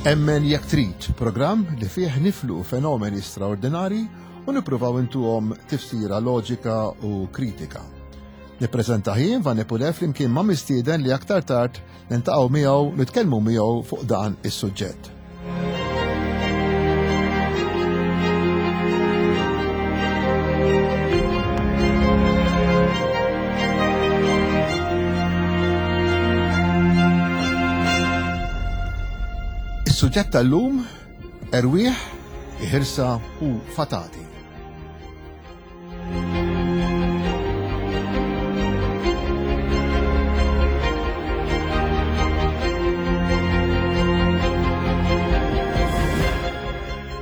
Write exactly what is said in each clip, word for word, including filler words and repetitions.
Emmen Jekk Trid, programm li fih niflu fenomeni straordinari u nippruvaw intuhom tifsira loġika u kritika. Nippreżenta jien Vanni Pulè flimkien ma' mistieden li aktar tard niltaqgħu miegħu nitkellmu miegħu fuq dan is-suġġett. Is-suġġett tal-lum erwieħ, iħirsa u fatati.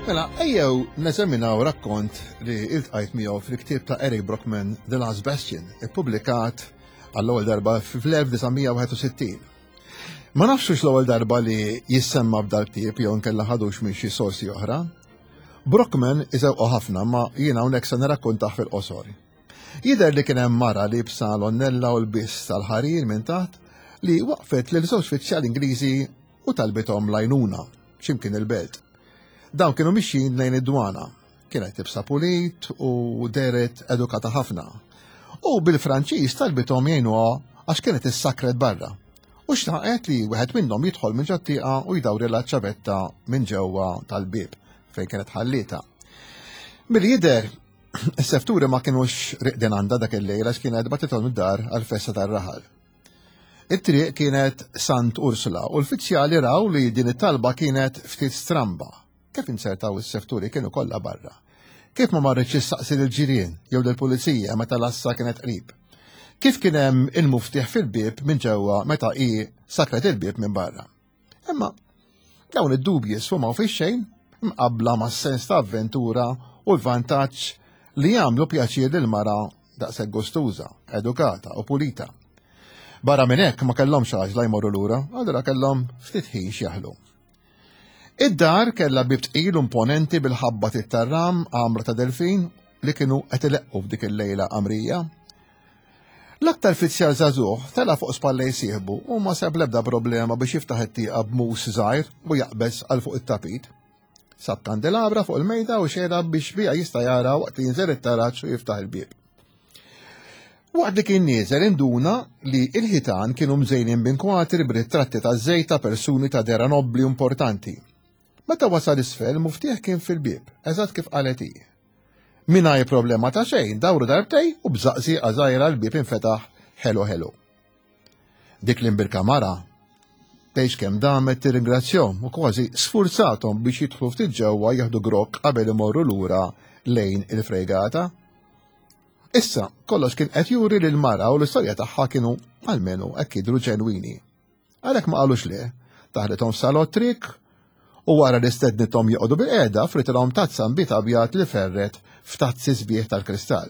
Mela, ejjew neżaminaw rakkont li iltqajt miegħu fil-ktieb ta' Eric Brockman The Last Bastion, ippubblikat għall-ewwel darba fl-elf disa' mija wieħed u sittin. Ma nafx hux l-ewwel darba li jissemma b'dal-ktieb jew nkella ħadux minn xi sorsi oħra. Brockman iżewqu ħafna ma jiena hawnhekk se nirrakkontah fil-qosor. Jidher li kien hemm mara li bsa l-onnella u l-biss tal-ħarir minn taħt li waqfet lil żewġ uffiċjali Ingliżi u talbithom l-għajnuna x'imkien il-belt. Dawn kienu mixjin lejn id-dwana. Kienet tibsa pulit u deret edukata ħafna. U bil-Franċiż talbithom jgħinuha għax kienet issakret barra. U xtaqet li wieħed minnhom jidħol minn ġot-tieqa u jdawrilha ċ-ċavetta minn ġewwa tal-bieb fejn kienet ħallietha. Milli jidher, is-sefturi ma kinux riqdin għandha dak il-lejl għax kienet batithom id-dar għall-festa tar-raħal. It-triq kienet Sant Ursula u l-fizzjali raw li din it-talba kienet ftit stramba. Kif insertaw is-sefturi kienu kollha barra? Kif ma marritx issaqsi lill-ġirien jew lill-pulizija meta l-assa kienet qrib? Kif kien hemm il-muftieħ fil-bieb minn ġewwa meta hi sakret il-bieb minn barra? Imma dawn id-dubji sfumaw fix-xejn mqabbla mas-sens ta' avventura u l-vantaġġ li jagħmlu pjaċir lil mara daqshekk gustuża, edukata u pulita. Barra minn hekk ma kellhomx għaġla jmorru lura, allura kellhom ftit ħin x'jaħlu. Id-dar kellha bieb tqil u imponenti bil-ħabba tit-tarram għamra ta' delfin li kienu qed ileqqu f'dik il-lejla qamrija. L-aktar fizzjal żagħżugħ tela' fuq spallej sieħbu u ma sab l-ebda problema biex jiftaħ it-tieqa b'mus żgħir u jaqbeż għal fuq it-tapit. Sab kandelabra fuq il-mejda u xejra biex bija jista' jara waqt li jinżel it-taraġ u jiftaħ il-bieb. Waqt li kien nieżel induna li l-ħitan kienu mżejnin b'inkwatri b'ritratti ta' żejt ta' persuni ta' dera nobbli importanti. Meta wasal isfel, muftieħ kien fil-bieb, eżatt kif qalet hi. Mingħajr problema ta' xejn, dawru darbtej u b'żaqżieqa żgħira l-bieb infetaħ ħelu ħelu. Dik l-imbirka mara tgħix kemm damet tirringrazzjahom u kważi sfurzathom biex jidħlu ftit ġewwa jieħdu grokk qabel imorru lura lejn il-frejgata. Issa, kollox kien qed juri li l-mara u l-istorja tagħha kienu almenu hekk jidhru ġenwini. Għalhekk ma qalux le, taħlithom f'salott trik u wara li stednithom joqogħdu bil-qiegħda fritilhom tazza nbid abjad li ferret f'tazzi sbieħ tal-kristall.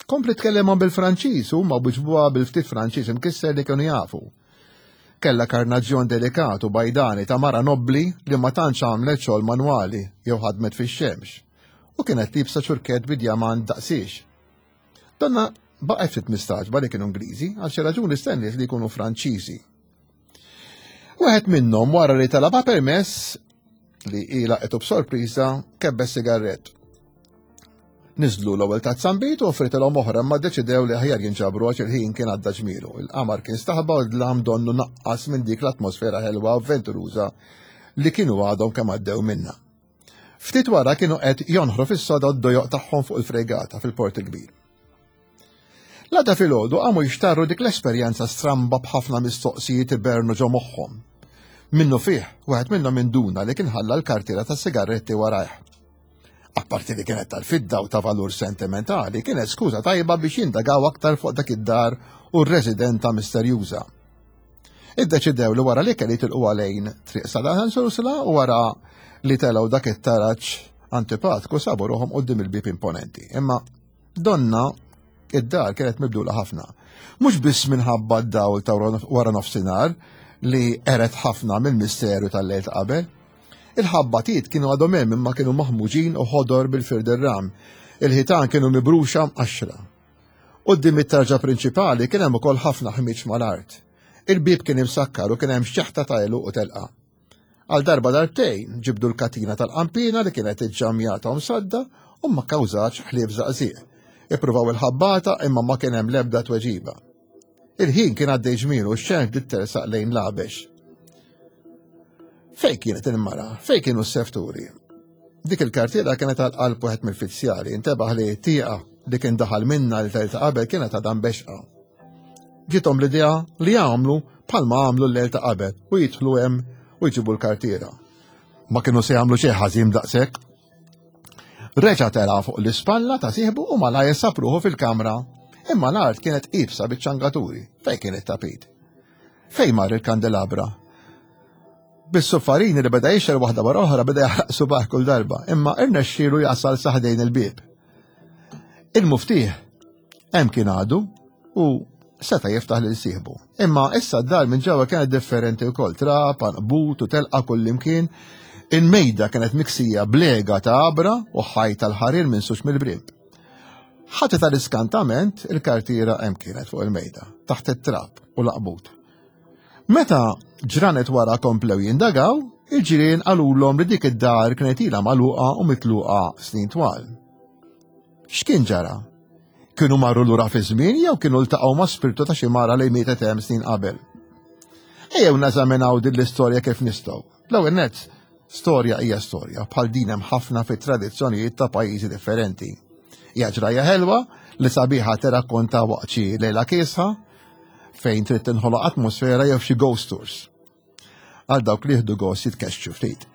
Kompli tkellimhom bil-Franċiż u huma wiġbuha bil-ftit Franċiż imkisser li kienu jafu. Kellha karnaġġjon delikat u bajdani ta' mara nobbli li ma tantx għamlet xogħol manwali jew ħadmet fix-xemx u kienet libsa ċurkett bi djamant daqsiex. Donna baqgħet ftit mistaġba li kienu Ingliżi għal xi raġuni stenniet li jkunu Franċiżi. Wieħed minnhom wara li talabha permess li ilha qed b'sorpriża kebbes sigarett. Niżlu l-ewwel tazza nbid u offritilhom oħra imma ddeċidew li aħjar jinġabru għax il-ħin kien għadda ġmielu. Il-qamar kien staħba u d-dlam donnu naqqas minn dik l-atmosfera ħelwa avventuruża li kienu għadhom kemm għaddew minnha. Ftit wara kienu qed jonħru fis-soda d-dojoq tagħhom fuq il-frejgata fil-Port il-Kbir. L-għada filgħodu qamu jixtarru dik l-esperjenza stramba b'ħafna mistoqsijiet ibernu ġo moħħhom. Minnu fih, wieħed minnhom induna li kien ħalla l-kartiera tas-sigaretti warajh. Apparti li kienet tal-fidda u ta' valur sentimentali, kienet skuża tajba biex jindagaw aktar fuq dak id-dar u r-residenta misterjuża. Iddeċidew li wara li kelli tilqu għalejn triq Sadan Ursula u wara li telgħu dak it-taraġ antipatku sabu ruħhom quddiem il-bieb imponenti. Imma donna id-dar kienet mibdula ħafna. Mhux biss minħabba d-dawl ta' wara nofsinhar li eret ħafna mill-misteru tal-lejl ta' qabel. Il-ħabbatiet kienu għadhom hemm imma kienu maħmuġin u ħodor bil-firdirram. Il-ħitan kienu mibruxa mqaxxra. Quddiem it-tarġa prinċipali kien hemm ukoll ħafna ħmieġ mal-art. Il-bieb kien imsakkar u kien hemm xeħta ta' għeluq u telqa. Għal darba darbtejn ġibdu l-katina tal-qampina li kienet iġġamjata u msadda u ma kkawżatx ħlief żaqżieq. Ippruvaw il-ħabbata imma ma kien hemm l-ebda tweġiba. Il-ħin kien għaddej ġmielu u x-xemx bdiet tersaq lejn l-għabex. Fejn kienet il-mara? Fejn kienu s-sefturi? Dik il-kartiera kienet għal qalb wieħed mill-fizzjali, intebaħ li tieqa li kien daħal minna li ta' qabel kienet għadha mbexqa. Ġiethom l-idea li jagħmlu bħalma għamlu l-lejl ta' qabel u jidħlu hemm u jġibu l-kartiera. Ma kienu se jagħmlu xejn ħażin daqshekk. Reġa' tela' fuq l-ispalla ta' sieħbu u malajr sab ruħu fil-kamra. Imma l-art kienet iebsa biċ-ċangaturi, fejn kien it-tapit? Fejn mar il-kandelabra? Bis-suffarini li beda jixgħel waħda wara oħra beda jaħraq subgħajh kull darba, imma irnexxielu jasal sa ħdejn il-bieb. Il-muftieħ hemm kien għadu u seta' jiftaħ lil sieħbu. Imma issa d-dar minn ġewwa kienet differenti wkoll, trab, għanqbut u telqa kullimkien. Il-mejda kienet miksija blega ta' għabra u ħajt tal-ħarir minsuġ mill-brib. Ħati tal-iskantament il-kartiera hemm kienet fuq il-mejda, taħt it-trab u l-għanqbut. Meta ġranet wara komplew jindagaw, il-ġirien qalulhom li dik id-dar kienet ilha magħluqa u mitluqa snin twal. X'kien ġara? Kienu marru lura fi żmien jew kienu ltaqgħu ma' spirtu ta' xi mara li mietet hemm snin qabel? Ejjew neżaminaw din l-istorja kif nistgħu. L-ewwel nett, storja hija storja, bħal din hemm ħafna fit-tradizzjonijiet ta' pajjiżi differenti. Hija ġrajja ħelwa li sabiħa tirrakkonta waqt xi lejla kiesħa fejn trid tinħoloq atmosfera jew xi ghost tours. Għal dawk li jieħdu gost jitkexxu ftit.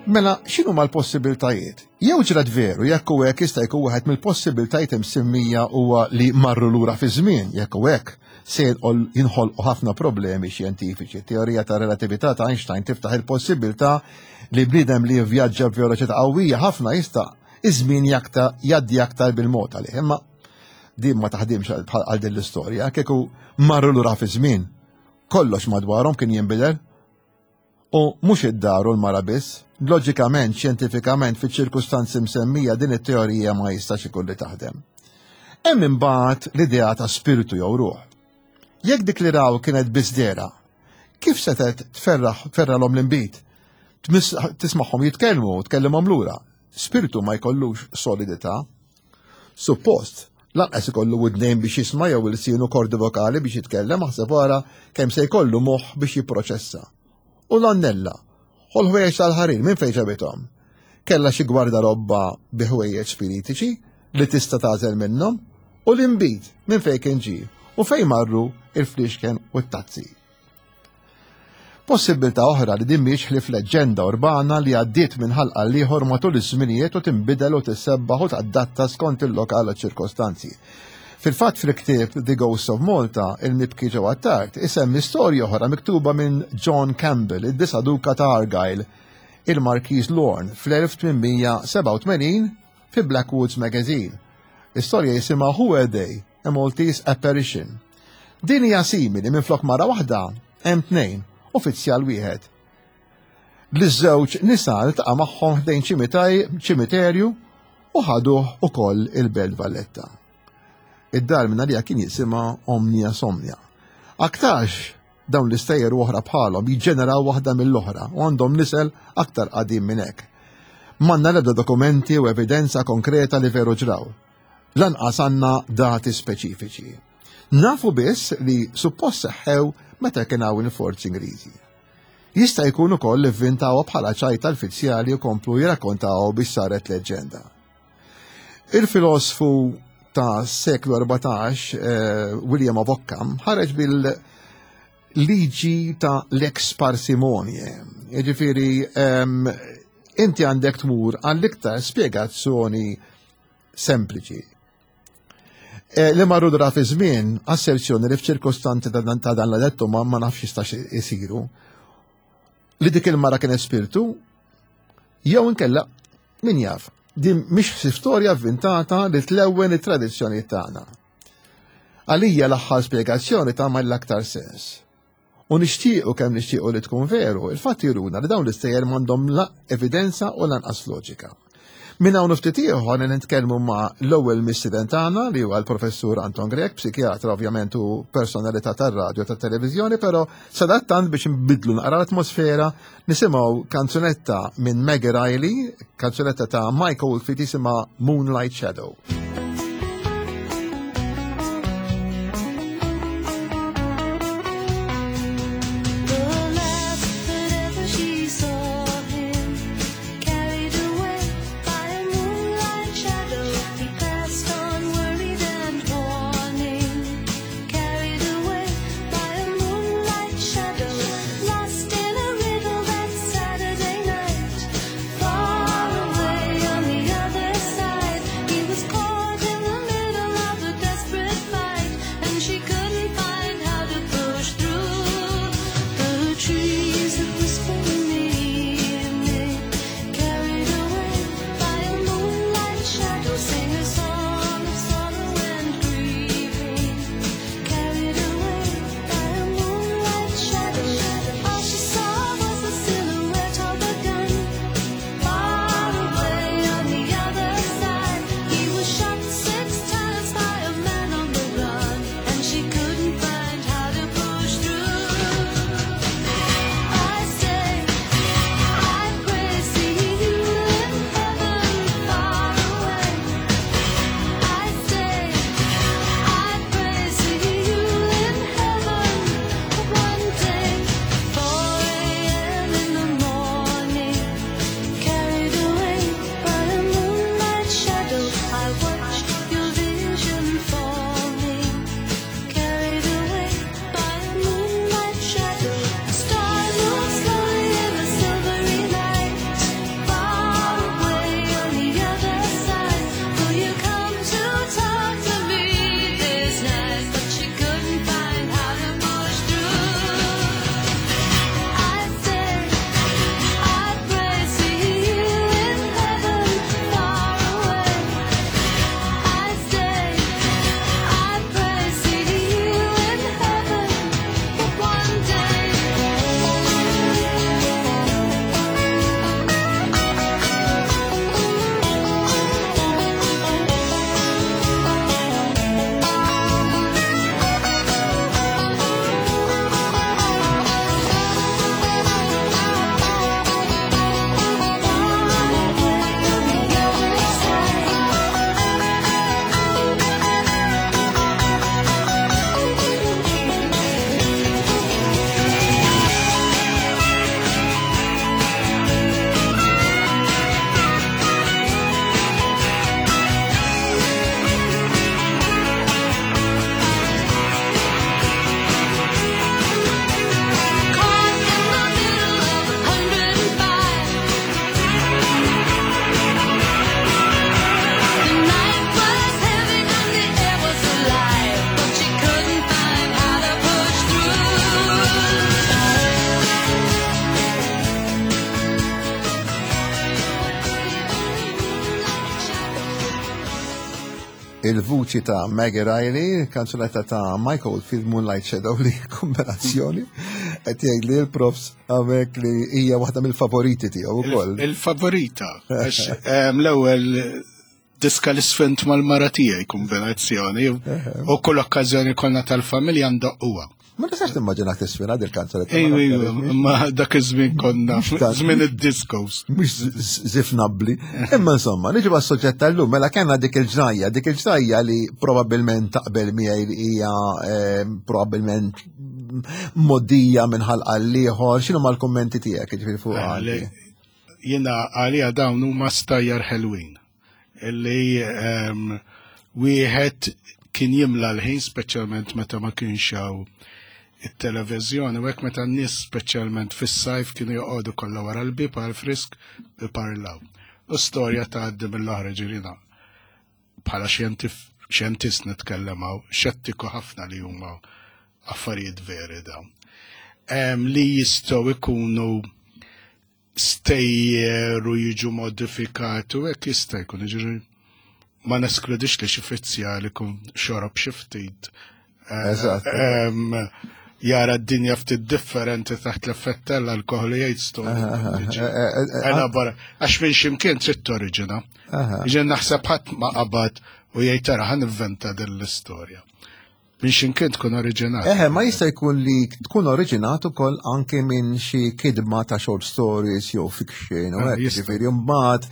Mela, x'inhuma l-possibiltajiet? Jew ġrat veru, jekk u hekk jista' jkun wieħed mill-possibiltajiet imsemmija huwa li marru lura fi żmien, jekk u hekk se jinħolqu ħafna problemi xjentifiċi. Teorija ta' relatività ta' Einstein tiftaħ il-possibilità li bniedem li jivvjaġġa b'veloċità qawwija ħafna jista' iż-żmien jgħaddi aktar bil-mod għalih. Imma din ma taħdimx għal din l-istorja, kieku marru lura fi żmien, kollox madwarhom kien jinbidel. U mhux id-dar u l-mara biss, loġikament, xjentifikament, fiċ-ċirkustanzi msemmija din it-teorija ma jistax ikun li taħdem. Hemm imbagħad l-idea ta' spiritu jew ruħ. Jekk dik li raw kienet biss dehra, kif setgħet tferraħ tferralhom l-inbid? Tismagħhom jitkellmu u tkellimhom lura. Spiritu ma jkollux solidità. Suppost, lanqas ikollu widnejn biex jisma' jew ilsien u kordi vokali biex jitkellem, aħseb wara kemm se jkollu moħħ biex jipproċessa. U l-annella, u l-ħwejjeġ tal-ħarir minn fejn ġabithom? Kellha xi gwardarobba bi ħwejjeġ spiritiċi li tista' tagħżel minnhom, u l-inbid minn fejn kien ġie u fejn marru il-fliexken u t-tazzi. Possibilità oħra li din mhix ħlief leġġenda urbana li għaddiet minn ħalqa l-ieħor matul iż-żminijiet u tinbidel u tissebbaħ u tadatta skont il-lokal u ċ-ċirkostanzi. Fil-fatt fil-ktieb The Ghosts of Malta, il-mibki Joe Attard, isemmi storja oħra miktuba minn John Campbell, id-disa' duka ta' Argyll, il-Marquis Lorne, fl-elf tmien mija sebgħa u tmenin fi Blackwoods Magazine. Istorja jisimha Who Were They? A Maltese Apparition. Din hija simili, minn flok mara waħda hemm tnejn, uffiċjal wieħed. L-żewġ nisa ltaqa' magħhom ħdejn ċimiterju u ħaduh ukoll il-Belt Valletta. Id-dar minn għalija kien jisimha Omnia Somnia. Aktarx dawn l-istejjer u oħra bħalhom jiġġeneraw waħda mill-oħra u għandhom nisel aktar qadim minn hekk. M'għandna l-ebda dokumenti u evidenza konkreta li veru ġraw. Lanqas għandna dati speċifiċi. Nafu biss li suppost seħħew meta kien hawn il-forzi Ingliżi. Jista' jkun ukoll li vvintawha bħala ċajta l-fizzjali u komplu jirrakkontaw biex saret leġġenda. Il-filosfu ta' seklu erbatax, eh, William of Ockham, ħareġ bil-liġi ta' lex parsimonie. Jiġifieri, ehm, inti għandek tmur għall-iktar spjegazzjoni sempliċi. Eh, li marru dra fi żmien, asserzjoni li f'ċirkostanzi ta' dan, ta' dan l-dettu ma, ma nafx jistax isiru. Li dik il-mara kien spiritu, jew inkella min jaf. Din mhix storja avvintata li tlewwen it-tradizzjoni tagħna. Għalija l-aħħar spjegazzjoni tagħmel l-aktar sens. U nixtiequ kemm nixtiequ li tkun veru, il-fatt juruna li dawn l-istejjer m'għandhom la evidenza u lanqas loġika. Minn hawn ftit ieħor nitkellmu ma' l-ewwel mistieden tagħna li huwa l-Professur Anton Grech, psikjatra ovvjament u personalità tar-radju tat-televiżjoni, però sadattant biex nbidlu naqra l-atmosfera nisimgħu kanzunetta minn Maggie Reilly, kanzunetta ta' Mike Oldfield jisimha Moonlight Shadow. Il-vuċi ta' Maggie Reilly, kanzunetta ta' Mike Oldfield Moonlight Shadow li kombinazzjoni qed jgħid li l-profs hawnhekk li hija waħda mill-favoriti tiegħu wkoll. Il-favorita, għax l-ewwel diska li sfint mal-mara tiegħi kombinazzjoni u kull okkażjoni konna tal-familja ndoqquha. Ma nistax nimmaġinak tisfina dil-kanzunetta. Ejju, ma dak iż-żmien konna, żmien id-discos. Mhux żifnabbli. Imma insomma, niġu għas-soġġett tal-lum, mela kellna dik il-ġrajja, dik il-ġrajja li probabbilment taqbel miegħi li hija probabbilment moddija minn ħalqa l-ieħor, x'inhu mal-kummenti tiegħek jiġifieri fuq għali? Jiena għalija dawn huma stajjar ħelwin illi wieħed kien jimla l-ħin speċjalment meta ma kienx hawn it-televiżjoni u hekk meta n-nies speċjalment fis-sajf kienu joqogħdu kollha wara l-bieb għal frisk iparlaw. U storja tgħaddi mill-oħra ġirina. Bħala xjentist nitkellem hawn, xettiku ħafna li huma affarijiet veri dawn. Li jistgħu ikunu stejjer u jiġu modifikati u hekk jista' jkun, jiġri ma neskludix li xi fizzjal ikun xorob xi ftit. Eżatt. Jara d-dinja ftit differenti taħt l-effett tal-alkohol, jgħid storja. Elabora, għax minn ximkien trid toriġina. Ġen naħseb ħadd ma qabad u jgħid, "Tara, ħa nivventa din l-istorja." Minn ximkien tkun oriġinat. Eħe, ma jista' jkun li tkun oriġinat ukoll anke minn xi kidma ta' short stories jew fiction u hekk, ġifieri mbagħad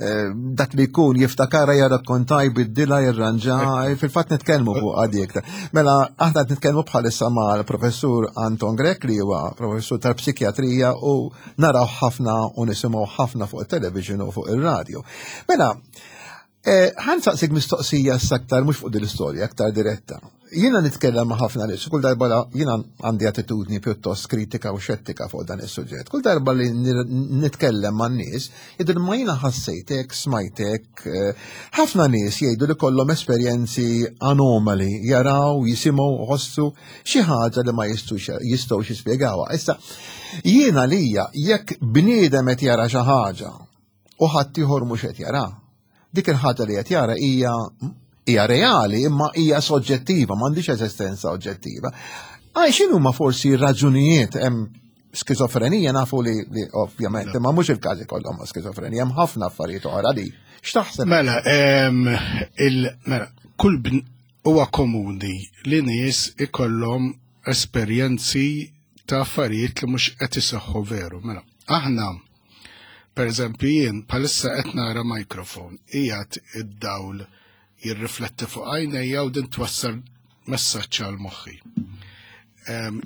eh, dak li jkun jiftakara, jarrakkonta, jbiddilha, jirranġa, fil-fatt nitkellmu fuq għadjek. Mela, aħna qed nitkellmu bħalissa mal-professur Anton Grech, li huwa professur tal-psikjatrija u naraw ħafna u nisimgħu ħafna fuq it-television u fuq ir-radio. Mela, eh, ħa nsaqsik mistoqsija aktar mhux fuq din l-istorja, aktar diretta. Jiena nitkellem ma' ħafna nies, kull darba jiena għandi attitudni pjuttost kritika u xettika fuq dan is-suġġett. Kull darba li nitkellem ma' nies, jgħidu ma jiena ħassejtek, smajtek, eh, ħafna nies jgħidu li kollhom esperjenzi anomali, jaraw, jisimgħu, ħossu xi ħaġa li ma jistgħux jispjegawha. Issa, jiena lija jekk bniedem qed jara xi ħaġa u ħadd ieħor mhux qed jara, dik il-ħaġa li qed jara hija hija reali imma hija soġġettiva, m'għandix eżistenza oġġettiva. Għaj, x'inhu ma forsi raġunijiet? Hemm skizofrenija, nafu li, li ovvjament, imma mhux il-każi kollhom ma' skizofrenija, hemm ħafna affarijiet oħra li x'taħseb? Mela, il, mela, kull huwa komuni li nies ikollhom esperjenzi ta' affarijiet li mhux qed iseħħu veru. Mela, aħna, per eżempju, jien bħalissa qed nara mikrofon, qiegħed id-dawl jirrifletti fuq għajnejja u din twassal messaġġ għal moħħi.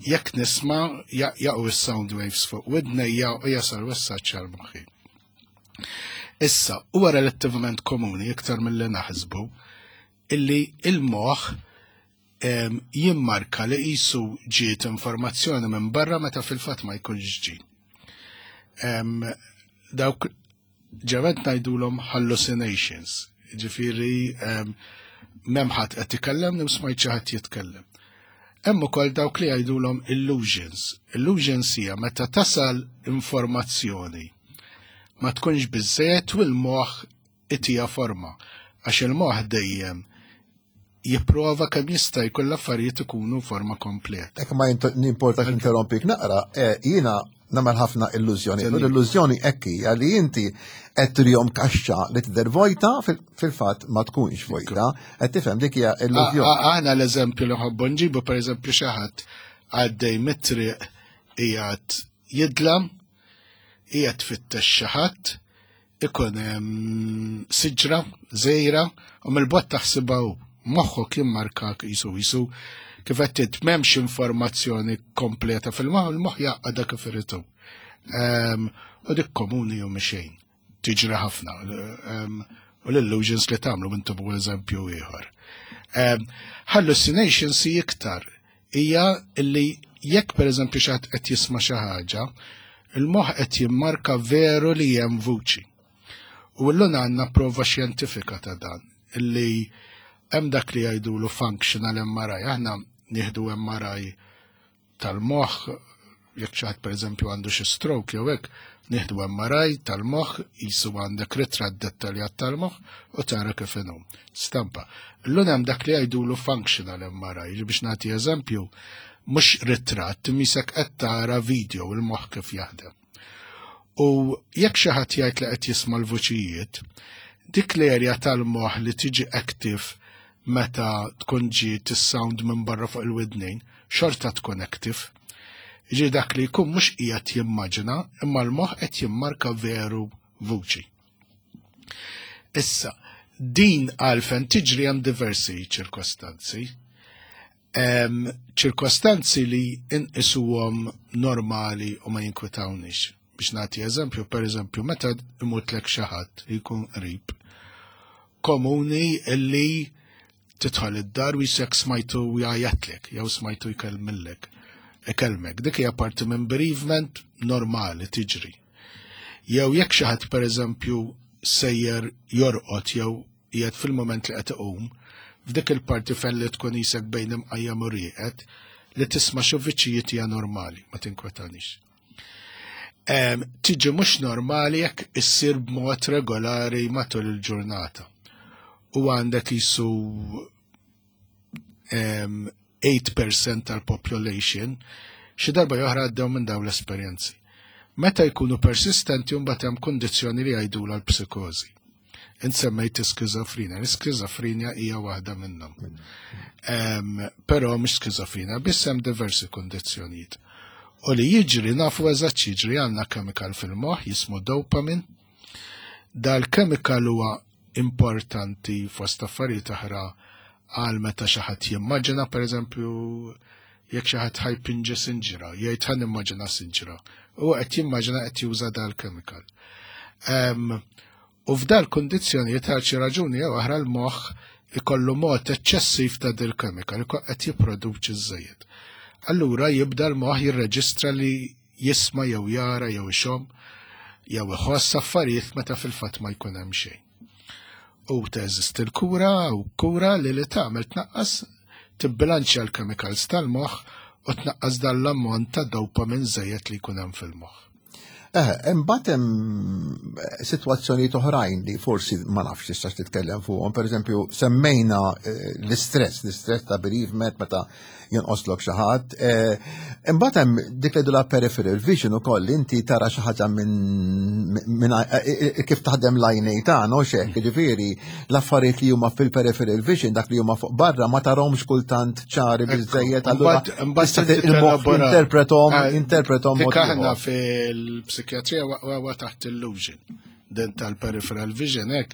Jekk nisma', jaqgħu is-sound waves fuq widnejja u jasal messaġġ għal moħħi. Issa, huwa relattivament komuni, iktar mill-li naħsbu, illi il-moħħ jimmarka li qisu ġiet informazzjoni minn barra meta fil-fatt ma jkunx ġi. Dawk ġevet ngħidulhom hallucinations, ġifieri m'hemm ħadd qed ikellem, smajt xi ħadd jitkellem. Hemm ukoll dawk li jgħidulhom illusions. Illusions hija meta tasal informazzjoni ma tkunx biżejjed u l-moħħ itija forma, għax il-moħħ dejjem jipprova kemm jista' jkun l-affarijiet ikunu forma kompleta. Ek ma nimportax interrompik naqra, eh, jiena nagħmel ħafna illużjoni. L-illużjoni hekk hija li inti qed turihom kaxxa li tidher vojta, fil-fatt ma tkunx vojta, qed tifhem? Dik hija illużjoni. Aħna l-eżempju li ħobbu nġibu, pereżempju, xi ħadd għaddej mit-triq, qiegħed jidlam, qiegħed fittex xi ħadd, ikun hemm siġra żgħira u mill-bogħod taħsibha hu. Moħħu kien marka jisu jisu kif qed m'hemmx informazzjoni kompleta fil-moħħ, il-moħħ jaqqa kif iridu. U dik komuni u mxejn, tiġri ħafna. U l-illusions li tagħmlu intom u eżempju ieħor. Hallucinations hi iktar hija li jekk, pereżempju, xi ħadd qed jisma' xi ħaġa, il-moħħ qed jimmarka veru li hemm vuċi. U llum għandna prova xjentifika ta' dan, illi hemm dak li jgħidulu functional M R I. Aħna nieħdu M R I tal-moħħ, jekk xi ħadd, pereżempju, għandu xi stroke jew hekk, nieħdu M R I tal-moħħ, jisu għandek ritratt dettaljat tal-moħħ u tara kif inhu. Stampa. Illum hemm dak li jgħidulu functional M R I, biex nagħti eżempju, mhux ritratt, misek qed tara video, il-moħħ kif jaħdem. U jekk xi ħadd jgħid li qed jisma' l-vuċijiet, dik l-erja tal-moħħ li tiġi active meta tkun ġiet is-sound minn barra fuq il-widnejn, xorta tkun active. Ġi dak li jkun mhux qiegħed jimmaġina, imma l-moħħ qed jimmarka veru vuċi. Issa, din għalfen tiġri? Hemm diversi ċirkostanzi. Ċirkostanzi li inqisuhom normali u ma jinkwetawniex. Biex nagħti eżempju, per eżempju, meta imutlek xi ħadd li jkun qrib, komuni illi tidħol id-dar u jisek smajtu jgħajjatlek, jew smajtu jkellmillek, ikellmek. Dik hija parti minn bereavement normali tiġri. Jew jekk xi ħadd, pereżempju, sejjer jorqod jew qiegħed fil-moment li qed iqum, f'dik il-parti fejn li tkun jisek bejn imqajjem u rieqed, li tisma' xi vuċijiet hija normali, ma tinkwetanix. Tiġi mhux normali jekk issir b'mod regolari matul il-ġurnata. U għandek jisu eight percent tal-population xi darba oħra għaddew minn dawn l-esperjenzi. Meta jkunu persistenti, mbagħad hemm kundizzjoni li jgħidulha l-psikożi. Int semmejt skizofrenja, l-skizofrenja hija waħda minnhom. Però mhux skizofrenja, biss, hemm diversi kundizzjonijiet. U li jiġri, nafu eżatt jiġri, għandna chemical fil-moħħ jismu dopamine. Dal-chemical huwa importanti fost affarijiet oħra għal meta xi ħadd jimmaġina, pereżempju, jekk xi ħadd ħa jpinġi sinġra, jgħid, "Ħa nimmaġina sinġra." U qed jimmaġina, qed juża dal-chemical. U f'dal kundizzjonijiet, għal xi raġuni jew oħra, l-moħħ ikollu mod eċċessiv ta' dil-chemical, qed jipproduċi żejjed. Allura jibda l-moħħ jirreġistra li jisma' jew jara jew ixomm jew iħoss affarijiet meta fil-fatt ma jkun hemm xejn. U teżisti l-kura, u kura li li tagħmel tnaqqas, tibbilanċja l-chemicals tal-moħħ u tnaqqas dan l-ammont ta' dopamine żejjed li jkun hemm fil-moħħ. Eh, imbagħad hemm sitwazzjonijiet oħrajn li forsi ma nafx tistax titkellem fuqhom. Pereżempju, semmejna eh, l-istress, l-istress ta' bereavement meta jonqoslok xi ħadd. Eh, imbagħad hemm dik li la peripheral vision ukoll, inti tara xi ħaġa minn minn kif taħdem l-għajnej tagħna u xek, jiġifieri l-affarijiet li huma fil-peripheral vision, dak li huma fuq barra, ma tarahomx kultant ċari biżejjed, allura il-moħħ interpretom interpretom mod. Aħna fil-psikjatrija huwa taħt illusion. Den tal-peripheral vision hekk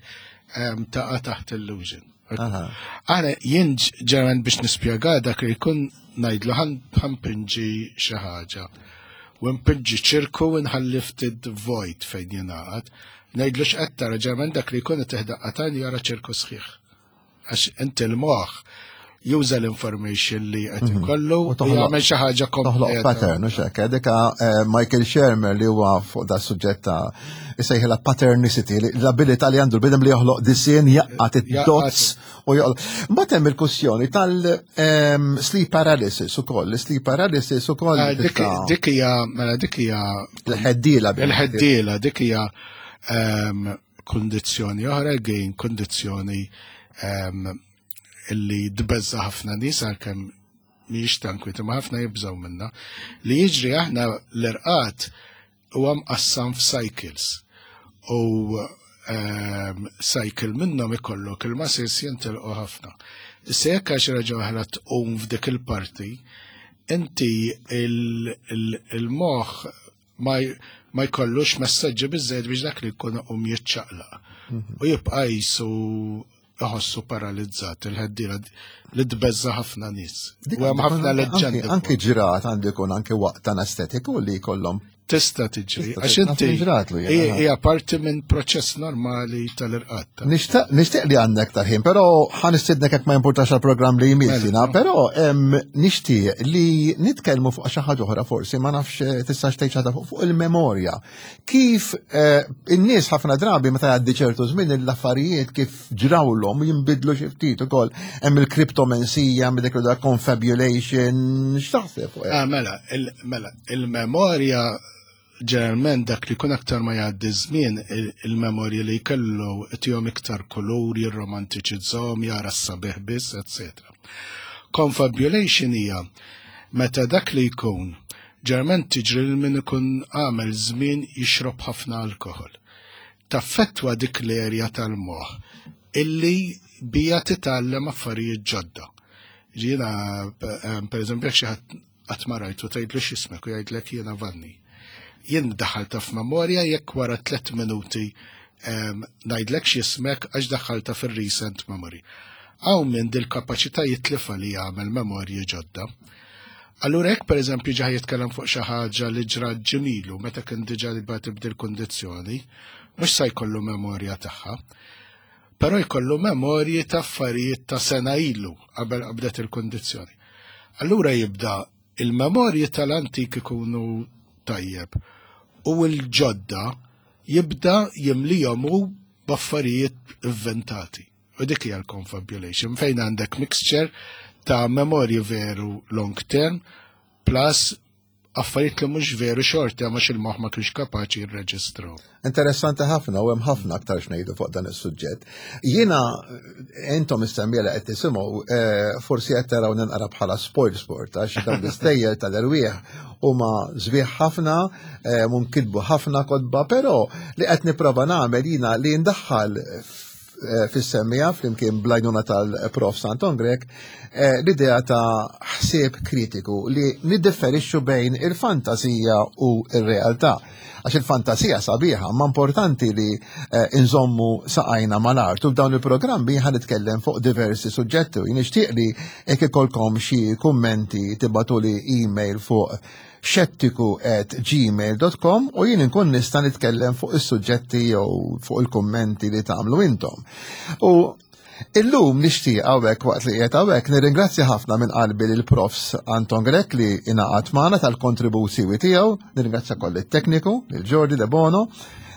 taqa' taħt illusion. Aħna jien ġeneralment biex nispjega dak li jkun ngħidlu, "Ħa npinġi xi ħaġa. U npinġi ċirku u nħalli ftit void fejn jingħaqad." Ngħidlu, "X'qed tara?" Ġeneralment dak li jkun teħdaqqa jara ċirku sħiħ. Għax inti l-moħħ juża l-information li qed mhm. ikollu u jagħmel xi ħaġa kompleta. Pattern, u xek, dika eh, Michael Shermer li huwa fuq da suġġett ta' isejħilha patternicity, l-abilità li għandu l-bniedem li joħloq disinn, jgħaqqad id-dots u joħloq. Mbagħad hemm il-kwestjoni tal-sleep paralysis ukoll, sleep paralysis ukoll. Ah, dik hija, mela dik hija l-ħeddiela. Il-ħeddiela, dik hija ehm, kundizzjoni oħra, again kundizzjoni ehm, illi tbeżża' ħafna nies, għalkemm mhijiex tankwieta, ma ħafna jibżgħu minna. Li jiġri, aħna l-irqad huwa mqassam f'cycles. U um, cycle minnhom ikollok il-muscles jintilqu ħafna. Issa jekk għax raġa oħra tqum f'dik il-parti, inti il-moħħ ma jkollux messaġġi biżejjed biex dak li jkun um jiċċaqlaq. Mhm. U jibqa' jisu iħossu paralizzat, il-ħeddila li tbeżża' ħafna nies. U hemm ħafna leġġendi. Anki ġrat għandu jkun anki waqt anestetiku li jkollhom. Tista' tiġri, għax inti hija parti minn proċess normali tal-irqad. Nixtieq li għandek tal-ħin, però ħa nistiednek hekk ma importax għal-programm li jmiss mela, però nixtieq li nitkellmu fuq xi ħaġa oħra forsi, ma nafx tistax tgħid ħaġa fuq il-memorja. Kif eh, in-nies ħafna drabi meta jgħaddi ċertu żmien, l-affarijiet kif ġrawlhom jinbidlu xi ftit ukoll. Hemm il-kriptomensija, hemm dik confabulation, x'taħseb fuq? Ah, mela, mela, il-memorja ġeneralment dak li kun aktar ma jgħaddi żmien, il-memorja li jkellu tihom iktar kulur, jirromantiċizzahom, jara s-sabiħ biss, et cetera. Confabulation hija meta dak li jkun, ġeneralment tiġri lil min ikun għamel żmien jixrob ħafna alkohol. Taffettwa dik l-erja tal-moħħ illi bija titgħallem affarijiet ġodda. Jiena, per eżempju, jekk xi ħadd qatt ma rajtu, tgħidlu, "X'ismek?" u jgħidlek, "Jiena Vanni." Jien daħalta f'memorja jekk wara tliet minuti ngħidlek x'ismek, għax daħalta fir-recent memory. Hawn min dil-kapaċità jitlifa li jagħmel memorji ġodda. Allura jekk pereżempju ġa jitkellem fuq xi ħaġa li ġrat ġimgħa ilu meta kien diġà li bagħat b'dil kundizzjoni, mhux se jkollu memorja tagħha. Però jkollu memorji ta' affarijiet ta' sena ilu qabel qabdet il-kundizzjoni. Allura jibda il-memorji tal-antik ikunu tajjeb u l-ġodda jibda jimlijom hu b'affarijiet inventati. U dik hija l-confabulation, fejn għandek mixture ta' memorji veru long term plus Affarijiet li mhux veru xorti għax il-moħħ ma kienx kapaċi jirreġistraw. Interessanti ħafna u hemm ħafna aktar x'ngħidu fuq dan is-suġġett. Jiena, intom is-semmiegħa li qed tisimgħu, eh, forsi qed taraw ninqara bħala spoil sport għax dawn l-istejjer tal-erwieħ huma sbieħ ħafna, eh, inkitbu ħafna kotba, però li qed nipprova nagħmel jiena li ndaħħal eh, fis-semmiegħa flimkien bl-għajnuna tal-Prof Anton Grech eh, l-idea ta' ħsieb kritiku li niddifferixxu bejn il-fantasija u il-realtà. Għax il-fantasija sabiħa, ma importanti li eh, inżommu saqajna mal-art. U f'dawn il-programmi ħa nitkellem fuq diversi suġġetti u nixtieq li jekk ikolkom xi kummenti tibagħtuli email fuq xettiku at gmail dot com u jien inkun nista' nitkellem fuq is-suġġetti jew fuq il-kummenti li tagħmlu intom. U illum nixtieq hawnhekk, waqt li qiegħed hawnhekk, nirringrazzja ħafna minn qalbi lil Profs Anton Grech li ingħaqad magħna tal-kontributi tiegħu, nirringrazzja koll it-tekniku, lil Jordi De Bono,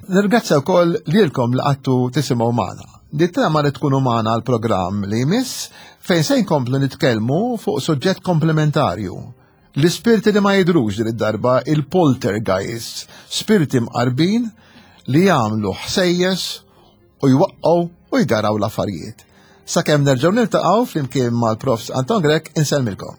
nirringrazzja wkoll lilkom li qgħadtu tisimgħu magħna. Nittama li tkunu magħna għal programm li jmiss fejn se nkomplu nitkellmu fuq suġġett komplementarju. L-ispirti li ma jidrux, din id-darba il-poltergeists, spirti mqarbin li jagħmlu ħsejjes u jwaqqgħu u jgaraw l-affarijiet. Sakemm nerġgħu niltaqgħu flimkien mal-Profs Anton Grech, insellmilkom.